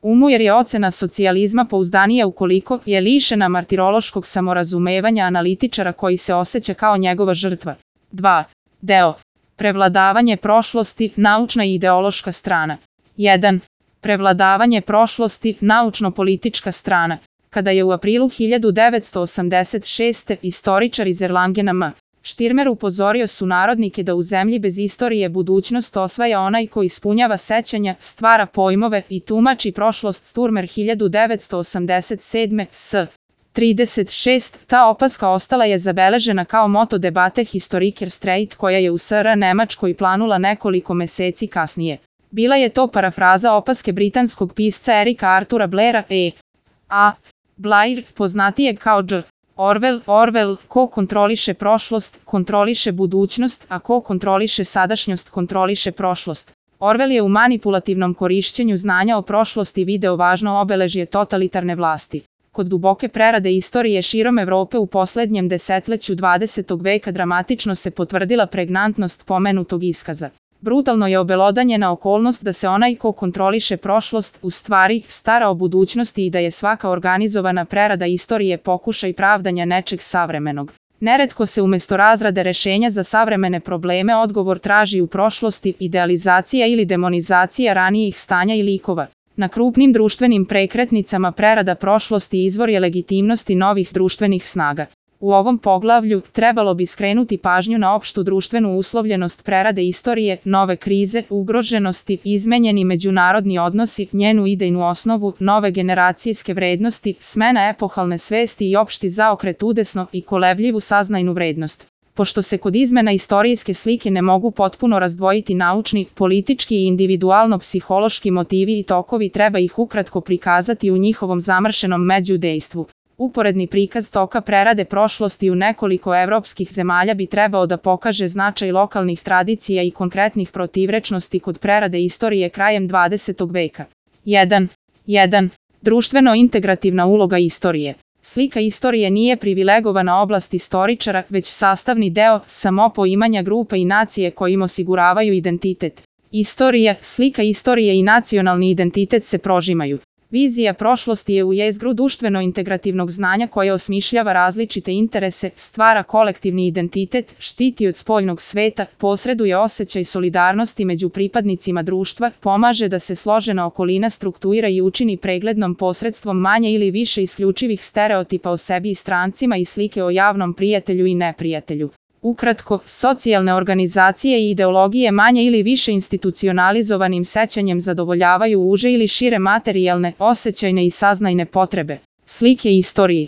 umu jer je ocena socijalizma pouzdanija ukoliko je lišena martirološkog samorazumevanja analitičara koji se osjeća kao njegova žrtva. 2. Deo. Prevladavanje prošlosti, naučna i ideološka strana. 1. Prevladavanje prošlosti, naučno-politička strana. Kada je u aprilu 1986. istoričar iz Erlangena M. Štirmer upozorio sunarodnike da u zemlji bez istorije budućnost osvaja onaj ko ispunjava sećanja, stvara pojmove i tumači prošlost. Sturmer 1987. s. 36. Ta opaska ostala je zabeležena kao moto debate Historiker Streit koja je u SR Nemačkoj planula nekoliko meseci kasnije. Bila je to parafraza opaske britanskog pisca Erika Artura Blaira A. Blair, poznatijeg kao G. Orwell, ko kontroliše prošlost, kontroliše budućnost, a ko kontroliše sadašnjost, kontroliše prošlost. Orwell je u manipulativnom korišćenju znanja o prošlosti video važno obeležje totalitarne vlasti. Kod duboke prerade istorije širom Evrope u poslednjem desetleću 20. veka dramatično se potvrdila pregnantnost pomenutog iskaza. Brutalno je obelodanjena okolnost da se onaj ko kontroliše prošlost u stvari stara o budućnosti i da je svaka organizovana prerada istorije pokušaj pravdanja nečeg savremenog. Neretko se umjesto razrade rešenja za savremene probleme odgovor traži u prošlosti, idealizacija ili demonizacija ranijih stanja i likova. Na krupnim društvenim prekretnicama prerada prošlosti izvor je legitimnosti novih društvenih snaga. U ovom poglavlju trebalo bi skrenuti pažnju na opštu društvenu uslovljenost prerade istorije, nove krize, ugroženosti, izmenjeni međunarodni odnosi, njenu idejnu osnovu, nove generacijske vrednosti, smena epohalne svesti i opšti zaokret udesno i kolebljivu saznajnu vrednost. Pošto se kod izmena istorijske slike ne mogu potpuno razdvojiti naučni, politički i individualno-psihološki motivi i tokovi, treba ih ukratko prikazati u njihovom zamršenom međudejstvu. Uporedni prikaz toka prerade prošlosti u nekoliko evropskih zemalja bi trebao da pokaže značaj lokalnih tradicija i konkretnih protivrečnosti kod prerade istorije krajem 20. veka. 1. Društveno-integrativna uloga istorije. Slika istorije nije privilegovana oblast istoričara, već sastavni deo samopoimanja grupa i nacije kojim osiguravaju identitet. Istorija, slika istorije i nacionalni identitet se prožimaju. Vizija prošlosti je u jezgru društveno-integrativnog znanja koje osmišljava različite interese, stvara kolektivni identitet, štiti od spoljnog sveta, posreduje osjećaj solidarnosti među pripadnicima društva, pomaže da se složena okolina struktuira i učini preglednom posredstvom manje ili više isključivih stereotipa o sebi i strancima i slike o javnom prijatelju i neprijatelju. Ukratko, socijalne organizacije i ideologije manje ili više institucionalizovanim sećanjem zadovoljavaju uže ili šire materijalne, osjećajne i saznajne potrebe. Slike istoriji.